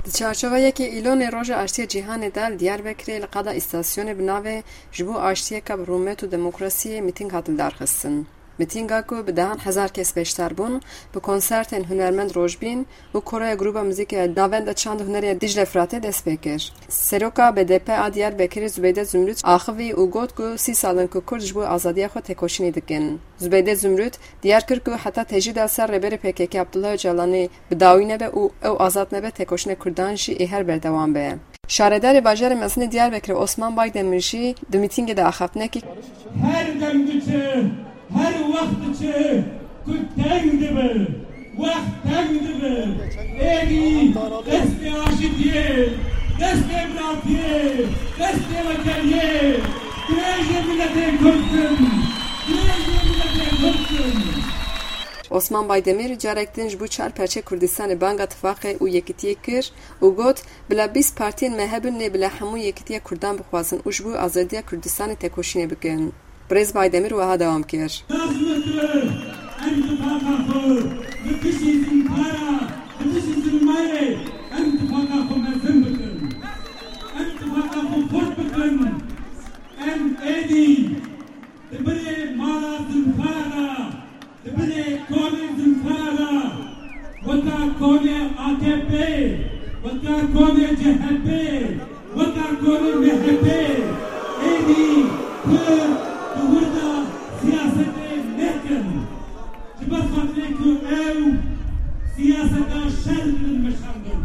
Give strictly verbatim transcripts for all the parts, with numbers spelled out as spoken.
Di çarçoveya yekê Îlonê Roja Aştiyê Cîhanê de li Diyarbekirê li qada îstasyonê bi navê Ji bo Aştiyeke bi Rûmet û Demokrasiyê mîtîng hat lidarxistin. Mîtînga ku bi dehan hezar kes beşdar bûn, bi konsertên hunermend Rojbîn û koroya Grûba Muzîkê Navenda Çand û Hunerê Dicle Firatê dest pê kir. Seroka B D P a Diyarbekirê Zubeyde Zumrût axivî û got ku sî sal in ku Kurd ji bo azadiya xwe têkoşînê dikin. Zubeyde Zumrût diyar kir ku heta tecrîda ser rêberê P K K Abdullah Ocalanê bi dawî nebe û ew azad nebe, têkoşîna Kurdan jî ê her berdewam be. Şaredarê bajarê mezin ê Diyarbekirê Osman Baydemir jî di mîtîngê de axaftinekî Her dem diçe, her wext diçe, ku teng dibe, wext teng dibe. Êdî destê aşitiyê, destê biratiyê, destê weteliyê, dirêjê miletê Kurd bin, dirêjê miletê Kurd bin. Osman Baydemir carek din ji bo çar perçê Kurdistanê banga tifaqê û yekitiyê kir û got, bila bîst partiyên me hebin, lê bila hemû yekitiya Kurdan bixwazin û ji bo azadiya Kurdistanê têkoşînê bikin. Birêz Baydemir wiha dewam kir. Lazim e ku em tifaqa xwe li dijî Zimkara, li dijî Zilmayê em tifaqa xwe mezin bikin. Em tifaqa xwe xurt bikin. Em êdî di binê mala Zimkara de, di binê konê Zimkara de, weka konê A K P, weka konê C H P, weka konê M H P, êdî Kurd di wir de siyasetê nekin. Ji ber xatirê ku ew siyaseta şer didin meşandin.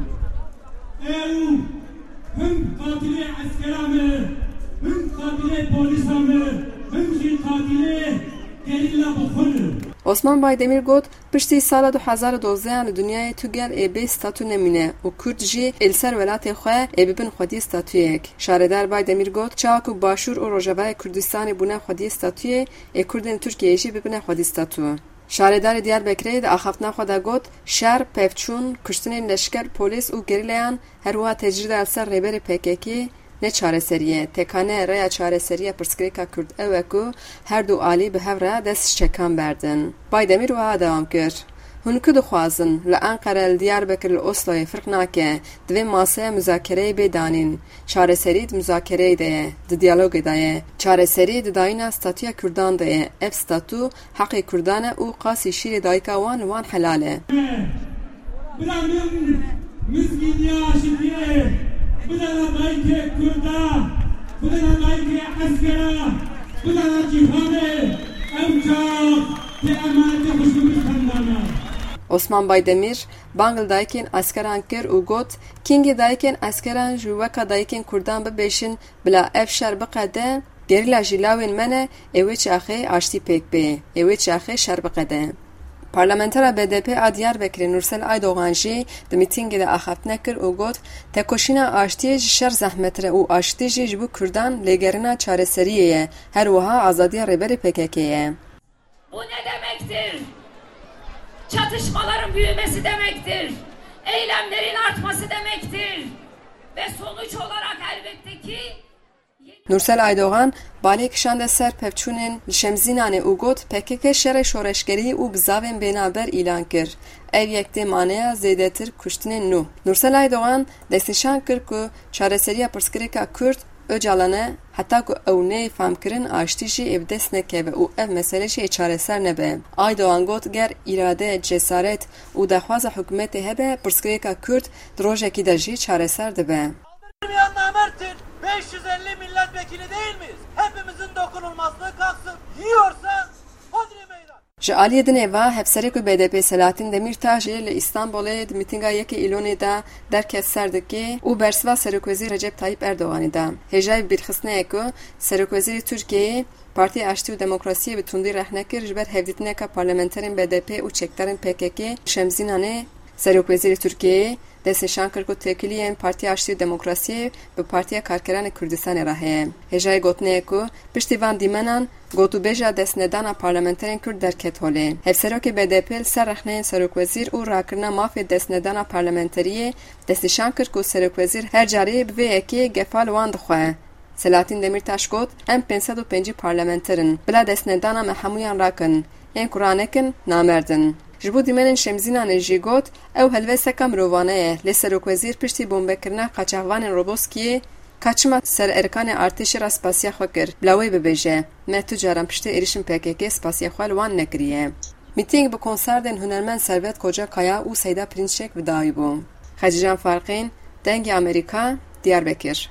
Ew him qatilê eskera me, him qatilê polîsa me, him jî qatilê gerîla bi xwe ne. Osman Baydemir got, piştî sala du hezar û dozdeh an li dinyayê tu gel ê bê statû nemîne û Kurd jî ê li ser welatê xwe ê bibin xwediyê statûyek. Şaredar Baydemir got, çawa ku Başûr û Rojavayê Kurdistanê bûne xwediyê statûyê, ê Kurdên Tirkiyeyê jî bibine xwedî statû. Şaredarê Diyarbekirê di axaftina xwe de got, şer, pevçûn, kuştinên leşker, polîs û gerîlayan, her wiha tecrîda li ser rêberê P K K ne çareserî ye. Tekane rêya çareserî ya pirsgirêka Kurd ew e ku her du alî bi hev re dest ji çekan berdin. Baydemîr wiha dewam kir, Hûn ku dixwazin li Enqere, li Diyarbekir, li Osloyê firq nake, divê maseya muzakereyê bê danîn. Çareserî di muzakereyê de ye, di diyalogê de ye. Çareserî di dayîna statûya Kurdan de ye. Ev statû heqê Kurdan e û qasî şîrê dayika wan li wan helal e. Bila min mizgîniya aşitiyê bidana dayikê Kurda, bidana dayikê eskera, bidana cîhanê, ew çax tê emanetê xwe ji min bistendana. Osman Baydemîr bang li dayikên eskeran kir û got, Kîngê dayikên eskeran jî weka dayikên Kurdan bibêjin, bila ev şer biqede, gerîla jî lawên me ne, ê wê çaxê aştî pêk bê, ê wê çaxê şer biqede. Parlamentera B D P a Diyarbekirê Nursel Aydogan jî di mîtîngê de axaftinek kir û got, Tekoşîna aştiyê ji şer zehmettir e û aştî jî ji bo Kurdan lêgerîna çareseriyê ye, her wiha azadiya rêberê P K K ye. Bu ne demektir? Çatışmaların büyümesi demektir. Eylemlerin artması demektir. Ve sonuç olarak elbette ki Nursel Aydogan balê kişande ser pevçûnên li Şemzînanê û got, P K K şerê şoreşgerî û bizavên bênaber îlan kir. Ev yek tê maneya zêdetir kuştinên nû. Nursel Aydogan destnîşan kir ku çareseriya pirsgirêka Kurd Ocalan e, heta ku ew neyê fehmkirin, aştî jî ê bi dest nekeve û ev mesele jî ê çareser nebe. Aydogan got, Ger îrade, cesaret û daxwaza hikûmetê hebe, pirsgirêka Kurd di rojekî de jî çareser dibe. Saldırmayan namerttir. Beş yüz elli milletvekili değil miyiz? Hepimizin dokunulmazlığı kalksın. Yiyorsa hodri meydan. Ji aliyê dinê ve, Hevserokê B D P Selahattin Demirtaş jî li Îstanbulê di mîtînga yekê Îlonê de derket ser dikê û bersiva Serokwezîr Recep Tayyip Erdoganê da. Hêjayî bîrxistinê ye ku Serokwezîrê Tirkiyeyê Partiya Aştî û Demokrasiyê bi tundî rexne kir ji ber hevdîtineka parlamenterên B D P û çekdarên P K K Şemzînanê. Serokwezîrê Tirkiyeyê destnîşan kir ku têkiliyên Partiya Aştî û Demokrasiyê bi Partiya Karkeranê Kurdistanê re heye. Hêjayî gotinê ye ku piştî van dîmenan gotûbêja destnedana parlamenterên Kurd derket holê. Hevserokê B D P li ser rexneyên serokwezîr û rakirina mafê destnedana parlamenteriyê destnîşan kir ku serokwezîr her carê bi vê yekê gefa li wan dixwe. Selahattin Demirtaş got, Em pênc sed û pêncî parlamenter in. Bila destnedana me hemûyan rakin. Yên ku ranekin, namerd in. Ji bo dîmenên Şemzînanê jî got, ew helwesteka mirovane ye, lê serokwezîr piştî bombekirina qaçaxvanên Roboskiyê ka çima ser erkanê artêşê re spasiya xwe kir, bila wê bibêje, me tu caran piştî êrişên P K K spasiya xwe li wan nekiriye. Mîtîng bi konserdên hunermend Servet Kocakaya û Seyda Pirinçek bi dawî bû. Xecîcan Farqîn, Dengê Amerîka, Diyarbekir.